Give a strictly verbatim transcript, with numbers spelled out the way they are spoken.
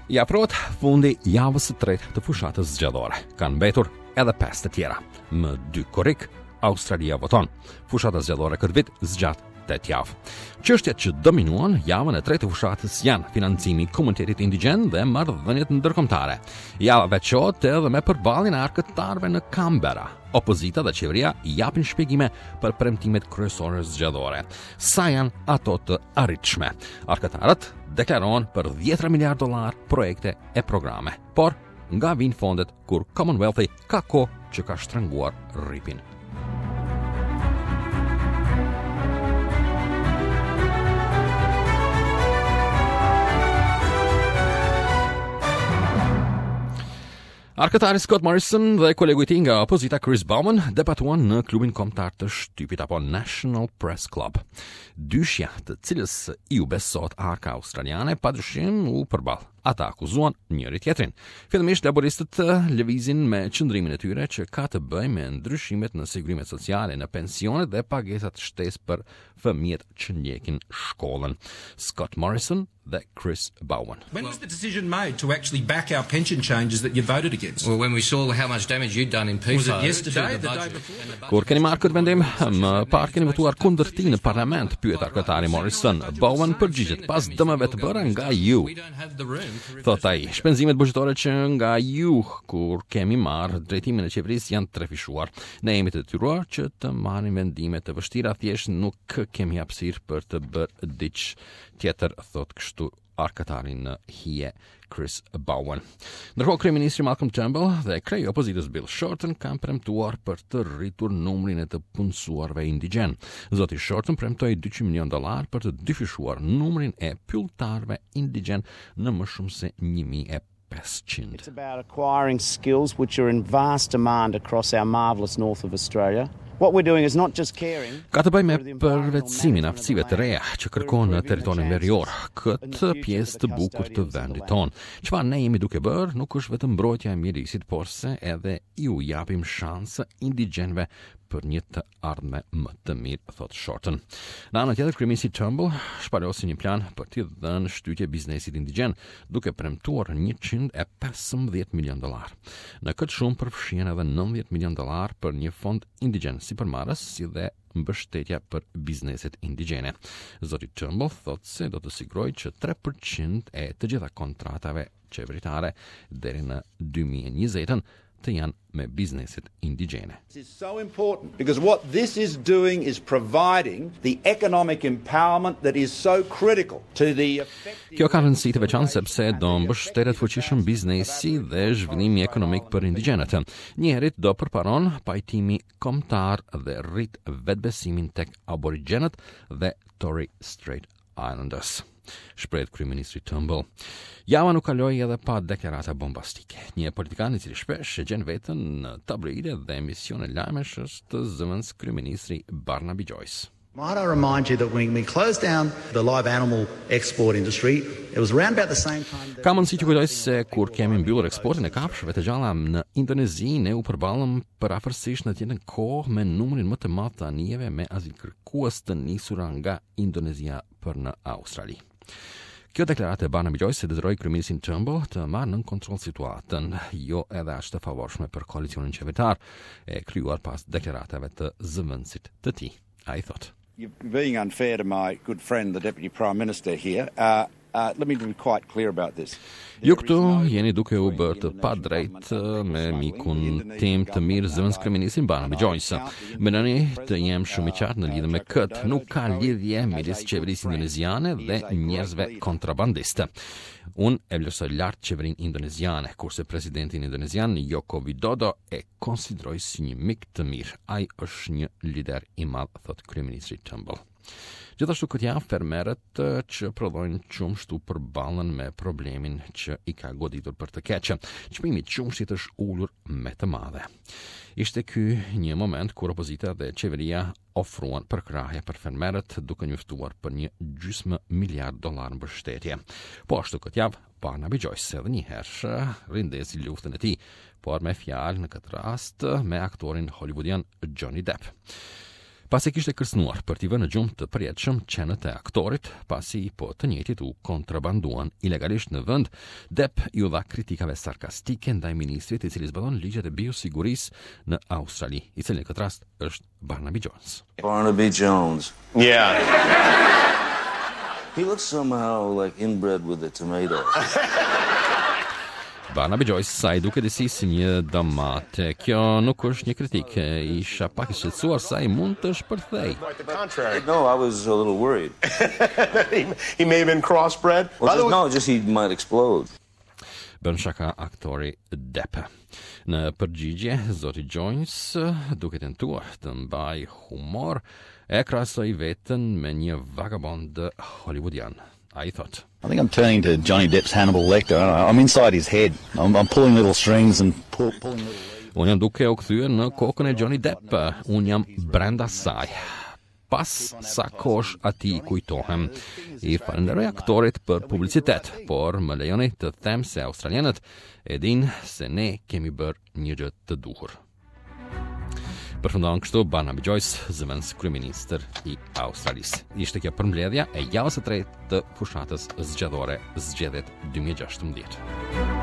I afrohet fundi javës së tretë të fushatës zgjedhore. Kanë mbetur edhe pesë të tjera. Më dy korrik, Australia voton. Fushata zgjedhore këtë vit zgjat tetë javë. Çështjet që dominuan javën e tretë të fushatës janë financimi i komunitetit indigjen dhe marrëdhëniet ndërkombëtare. Java veçohet edhe me përballjen e arkëtarëve në Canberra. Opozita dhe qeveria japin shpjegime për premtimet kryesore zgjedhore. Sa janë ato të arritshme? Arkëtarët deklarohen për dhjetra miliard dollar projekte e programe. Por nga vijnë fondet kur Commonwealthi ka kohë që ka shtrënguar rripin? Arkëtari Scott Morrison dhe kolegu i tij nga opozita Chris Bowen debatuan në klubin kombëtar të shtypit apo National Press Club. Dyshja, të cilës iu besohet arka australiane, padyshim u përball. Ata akuzuan njëri tjetrin. Fillimisht laboristët lëvizin me qëndrimin e tyre që ka të bëjë me ndryshimet në sigurimet sociale, në pensionet dhe pagesat shtesë për fëmijët që ndjekin shkollën. Scott Morrison dhe Chris Bowen. When was the decision made to actually back our pension changes that you voted against? Well, when we saw how much damage you'd done in P F O Was it yesterday, to the the day budget before? and the budget Kur keni marrë këtë vendim, më parë keni votuar kundër tij në parlament, pyet arkëtari Morrison. Bowen përgjigjet pas dëmeve të bëra nga ju. We don't have the room to reverse Thot ai, shpenzimet buxhetore që nga ju kur kemi marrë drejtimin e qeverisë janë trefishuar. Ne jemi të detyruar që të marrim vendime të vështira, thjesht nuk kemi hapësirë për të bërë diç tjetër, thot kështu arkëtari në hije Chris Bowen. Ndërkohë kryeministri Malcolm Turnbull dhe kreu i opozitës Bill Shorten kanë premtuar për të rritur numrin e të punësuarve indigjen. Zoti Shorten premtoi dyqind milion dollar për të dyfishuar numrin e pylltarëve indigjen në më shumë se një mijë e pesëqind. It's about acquiring skills which are in vast demand across our marvelous north of Australia. What we're doing is not just caring. Ka të bëjë me përvetësimin e aftësive të reja që kërkon në territorin verior, këtë pjesë të bukur të vendit tonë. Çfarë ne jemi duke bërë nuk është vetëm mbrojtja e mjedisit, por se edhe iu japim shansë indigjenëve për një të ardhme më të mirë, thot Shorten. Në anën tjetër, kryeministri Turnbull shpalosi një plan për t'i dhënë shtytje biznesit indigjen, duke premtuar njëqind e pesëmbëdhjetë milion dollar. Në këtë shumë përfshihen edhe nëntëdhjetë milion dollar për një fond indigjen sipërmarrës, si dhe mbështetja për bizneset indigjene. Zoti Turnbull thot se do të sigurojë që tre përqind e të gjitha kontratave qeveritare deri në dy mijë e njëzetën të janë me bizneset indigjene. This is so important because what this is doing is providing the economic empowerment that is so critical to the effective Kjo ka rëndësi të veçantë sepse do mbështetet fuqishëm biznesi dhe zhvillimi ekonomik për indigjenët. Njëherit do përparon pajtimi kombëtar dhe rrit vetbesimin tek aborigjenët dhe Torres Strait Islanders, shprehet kryeministri Turnbull. Java nuk kaloi edhe pa deklarata bombastike. Një politikan i cili shpesh e gjen veten në tabloide dhe emisione lajmesh është zëvendës kryeministri Barnaby Joyce. Might I remind you that when we closed down the live animal export industry, it was around about the same time that Ka mundësi që kujtoj se kur kemi mbyllur eksportin e kafshëve të gjalla në Indonezi, ne u përballëm përafërsisht në të njëjtën kohë me numrin më të madh të anijeve me azilkërkues të nisura nga Indonezia për në Australi. Kjo deklaratë e Barnaby Joyce e detyroi kryeministin Turnbull të marrë nën kontroll situatën, jo edhe aq të favorshme për koalicionin qeveritar, e krijuar pas deklaratave të zëvendësit të tij. Ai thotë: You're being unfair to my good friend, the Deputy Prime Minister here. Uh, uh, let me be quite clear about this. Ju këtu jeni duke u bërë të padrejtë me mikun tim të mirë zëvendëskryeministrin Barnaby Joyce. Më lëni të jem shumë i qartë në lidhje me këtë. Nuk ka lidhje midis qeverisë indoneziane dhe njerëzve kontrabandistë. Unë e vlerësoj lart qeverinë indoneziane, kurse presidentin indonezian Joko Widodo e konsideroj si një mik të mirë. Ai është një lider i madh, thot kryeministri Turnbull. Gjithashtu këtë javë fermerët, eh, që prodhojnë qumësht u përballen me problemin që i ka goditur për të keqe. Çmimi i qumështit është ulur me të madhe. Ishte ky një moment kur opozita dhe qeveria ofruan përkrahje për fermerët duke njoftuar për një gjysmë miliard dollar mbështetje. Po ashtu këtë javë Barnaby Joyce edhe një herë rindezi luftën e tij, por me fjalë në këtë rast me aktorin hollywoodian Johnny Depp. Pasi kishte kërcënuar për t'i vënë në gjumë të përjetshëm qenët e aktorit, pasi po të njëjtit u kontrabanduan ilegalisht në vend, Depp iu dha kritikave sarkastike ndaj ministrit i cili zbaton ligjet e biosigurisë në Australi, i cili në këtë rast është Barnaby Jones. Barnaby Jones. Yeah. He looks somehow like inbred with a tomato. Barnaby Joyce sa i duket disi si një domate. Kjo nuk është një kritikë. Isha pak i shqetësuar sa i mund të shpërthej. Quite the contrary. No, I was a little worried. he, he may have been crossbred. Well, By the just, way, no, just he might explode. Bën shaka aktori Depp. Në përgjigje, zoti Jones, duke tentuar të mbaj humor, e krahasoi veten me një vagabond hollywoodian. Ai thot: I think I'm turning to Johnny Depp's Hannibal Lecter. I'm inside his head. I'm, I'm pulling little strings and pull, pulling little. Unë jam duke u kthyer në kokën e Johnny Depp. Unë jam brenda saj. Pas sa kosh ati i kujtohem. I falenderoj aktorit për publicitet, por më lejoni të them se australianët e dinë se ne kemi bërë një gjë të duhur. Përfundon kështu Barnaby Joyce, zëvendës kryeministër i Australisë. Ishte kjo përmbledhja e javës së tretë të fushatës zgjedhore, zgjedhjet dy mijë e gjashtëmbëdhjetë.